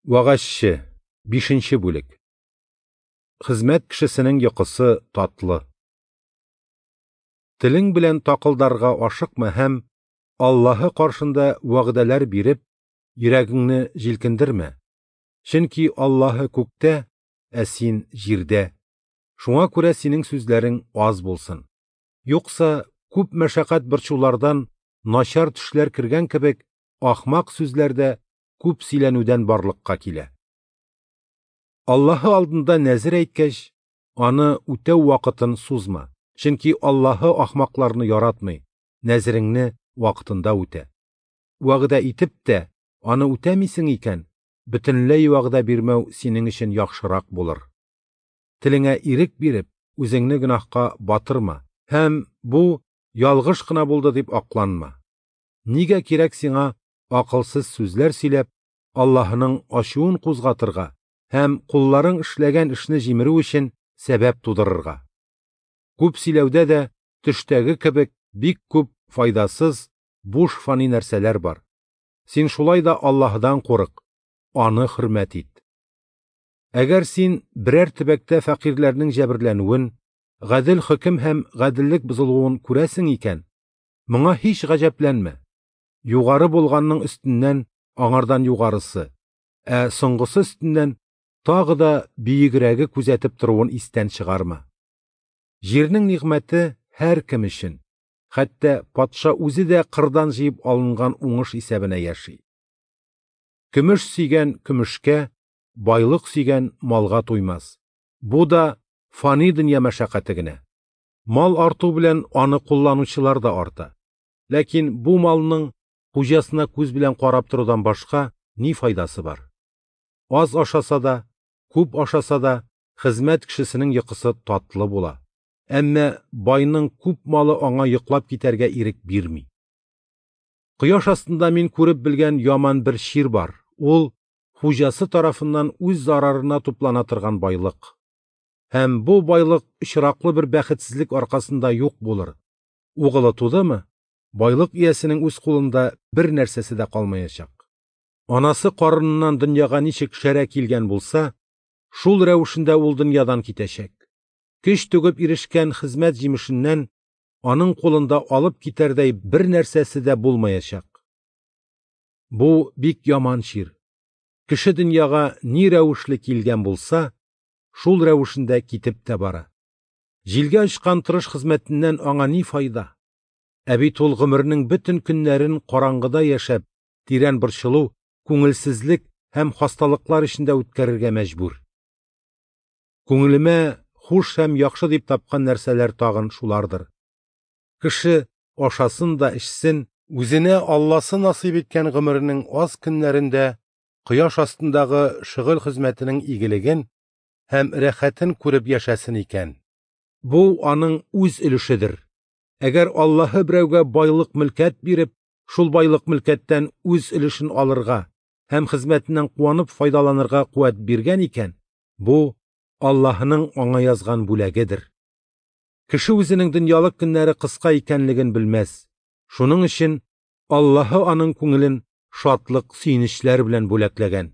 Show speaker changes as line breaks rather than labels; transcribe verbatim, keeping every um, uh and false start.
Вәгазьче, бишенче бүлек. Хезмәт кешесенең йокысы татлы. Телең белән такылдарга ашыкма һәм Аллаһы каршында вәгъдәләр биреп, йөрәгеңне җилкендермә. Чөнки Аллаһы күктә, ә син җирдә. Шуңа күрә синең сүзләрең аз булсын. Юкса күп мәшәкать борчулардан начар төшләр кергән кебек, ахмак сүзләр дә күп сөйләнүдән барлыкка килә. Аллаһы алдында нәзер әйткәч, аны үтәү вакытын сузма. Чөнки Аллаһы ахмакларны яратмый, нәзереңне вакытында үтә. Вәгъдә итеп тә аны үтәмисең икән, бөтенләй вәгъдә бирмәү синең өчен яхшырак булыр. Телеңә ирек биреп, үзеңне гөнаһка батырма һәм бу ялгыш кына булды дип акланма. Нигә кирәк сиңа акылсыз сүзләр сөйләп, Аллаһының ачуын кузгатырга һәм кулларың эшләгән эшне җимерү өчен сәбәп тудырырга? Күп сөйләүдә дә төштәге кебек бик күп файдасыз, буш фани нәрсәләр бар. Син шулай да Аллаһыдан курык, аны хөрмәт ит. Әгәр син берәр төбәктә фәкыйрьләрнең җәберләнүен, гадел хөкем һәм гаделлек бозылуын күрәсең икән, моңа һич гаҗәпләнмә. Югары булганның өстеннән аңардан югарысы, ә соңгысы өстеннән тагы да биегрәге күзәтеп торуын истән чыгарма. Җирнең нигъмәте һәркем өчен, хәтта патша үзе дә кырдан җыеп алынган уңыш исәбенә яши. Көмеш сөйгән көмешкә, байлык сөйгән малга туймас. Бу да фани дөнья мәшәкате генә. Мал арту белән аны кулланучылар да арта. Ләкин бу малның хуҗасына күз белән карап торудан башка ни файдасы бар? Аз ашаса да, күп ашаса да, хезмәт кешесенең йокысы татлы була. Әмма байның күп малы аңа йоклап китәргә ирек бирми. Кояш астында мин күреп белгән яман бер чир бар. Ул хуҗасы тарафыннан үз зарарына туплана торган байлык. Һәм бу байлык очраклы бер бәхетсезлек аркасында юк булыр. Угылы тудымы, байлык иясенең үз кулында бер нәрсәсе дә калмаячак. Анасы карыныннан дөньяга ничек шәрә килгән булса, шул рәвешендә ул дөньядан китәчәк. Көч түгеп ирешкән хезмәт җимешеннән аның кулында алып китәрдәй бер нәрсәсе дә булмаячак. Бу бик яман чир. Кеше дөньяга ни рәвешле килгән булса, шул рәвешендә китеп тә бара. Җилгә очкан тырыш хезмәтеннән аңа ни файда? Ә бит ул гомеренең бөтен көннәрен караңгыда яшәп, тирән борчылу, күңелсезлек һәм хасталыклар эчендә үткәрергә мәҗбүр. Күңелемә хуш һәм яхшы дип тапкан нәрсәләр тагын шулардыр. Кеше ашасын да эчсен, үзенә Алласы насыйп иткән гомеренең аз көннәрендә кояш астындагы шөгыль хезмәтенең игелеген һәм рәхәтен күреп яшәсен икән. Бу аның үз өлешедер. Әгәр Аллаһы берәүгә байлык мөлкәт биреп, шул байлык мөлкәттән үз өлешен алырга һәм хезмәтеннән куанып файдаланырга куәт биргән икән, бу Аллаһының аңа язган бүләгедер. Кеше үзенең дөньялык көннәре кыска икәнлеген белмәс. Шуның өчен Аллаһы аның күңелен шатлык, сөенечләр белән бүләкләгән.